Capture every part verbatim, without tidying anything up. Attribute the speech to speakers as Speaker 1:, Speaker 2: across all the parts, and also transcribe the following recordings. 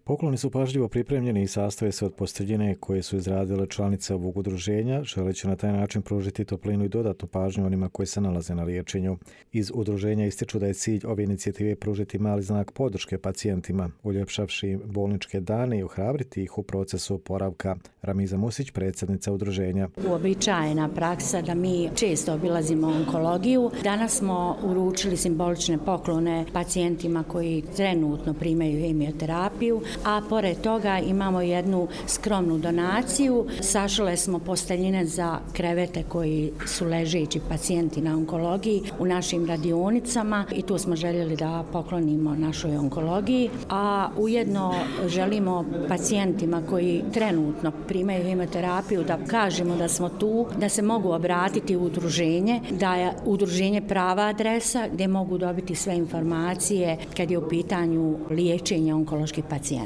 Speaker 1: Pokloni su pažljivo pripremljeni i sastoje se od posteljine koje su izradile članice ovog udruženja, želeći na taj način pružiti toplinu i dodatnu pažnju onima koji se nalaze na liječenju. Iz udruženja ističu da je cilj ove inicijative pružiti mali znak podrške pacijentima, uljepšavši im bolničke dane i ohrabriti ih u procesu oporavka. Ramiza Musić, predsjednica udruženja.
Speaker 2: Uobičajena praksa da mi često obilazimo onkologiju. Danas smo uručili simbolične poklone pacijentima koji trenutno primaju hemioterapiju, a pored toga imamo jednu skromnu donaciju. Sašile smo posteljine za krevete koji su ležeći pacijenti na onkologiji u našim radionicama i tu smo željeli da poklonimo našoj onkologiji, a ujedno želimo pacijentima koji trenutno primaju hemioterapiju da kažemo da smo tu, da se mogu obratiti u udruženje, da je udruženje prava adresa gdje mogu dobiti sve informacije kad je u pitanju liječenja onkoloških pacijenata.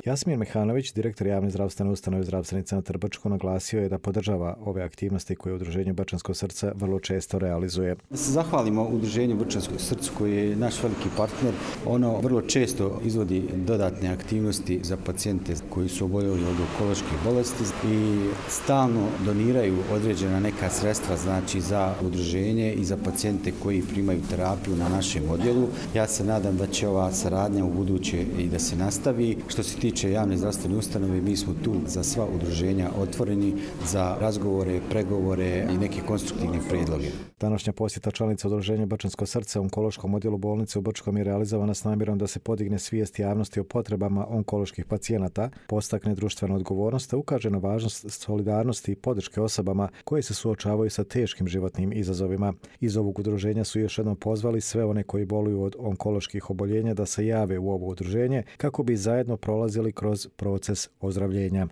Speaker 1: Jasmin Mehanović, direktor javne zdravstvene ustanove Zdravstveni centar Brčko, naglasio je da podržava ove aktivnosti koje udruženje Brčansko srce vrlo često realizuje.
Speaker 3: Da se zahvalimo udruženju Brčansko srce koji je naš veliki partner. Ono vrlo često izvodi dodatne aktivnosti za pacijente koji su oboljeli od onkoloških bolesti i stalno doniraju određena neka sredstva, znači za udruženje i za pacijente koji primaju terapiju na našem odjelu. Ja se nadam da će ova saradnja u buduće i da se nastavi. Što se tiče javne zdravstvene ustanove, mi smo tu za sva udruženja otvoreni za razgovore, pregovore i neke konstruktivne prijedloge.
Speaker 1: Današnja posjeta članica udruženja Brčansko srce u onkološkom odjelu bolnice u Brčkom je realizovana s namjerom da se podigne svijest javnosti o potrebama onkoloških pacijenata, postakne društvenu odgovornost, te ukaže na važnost solidarnosti i podrške osobama koje se suočavaju sa teškim životnim izazovima. Iz ovog udruženja su još jednom pozvali sve one koji boluju od onkoloških oboljenja da se jave u ovo udruženje kako bi zajedno prolazili kroz proces ozdravljenja.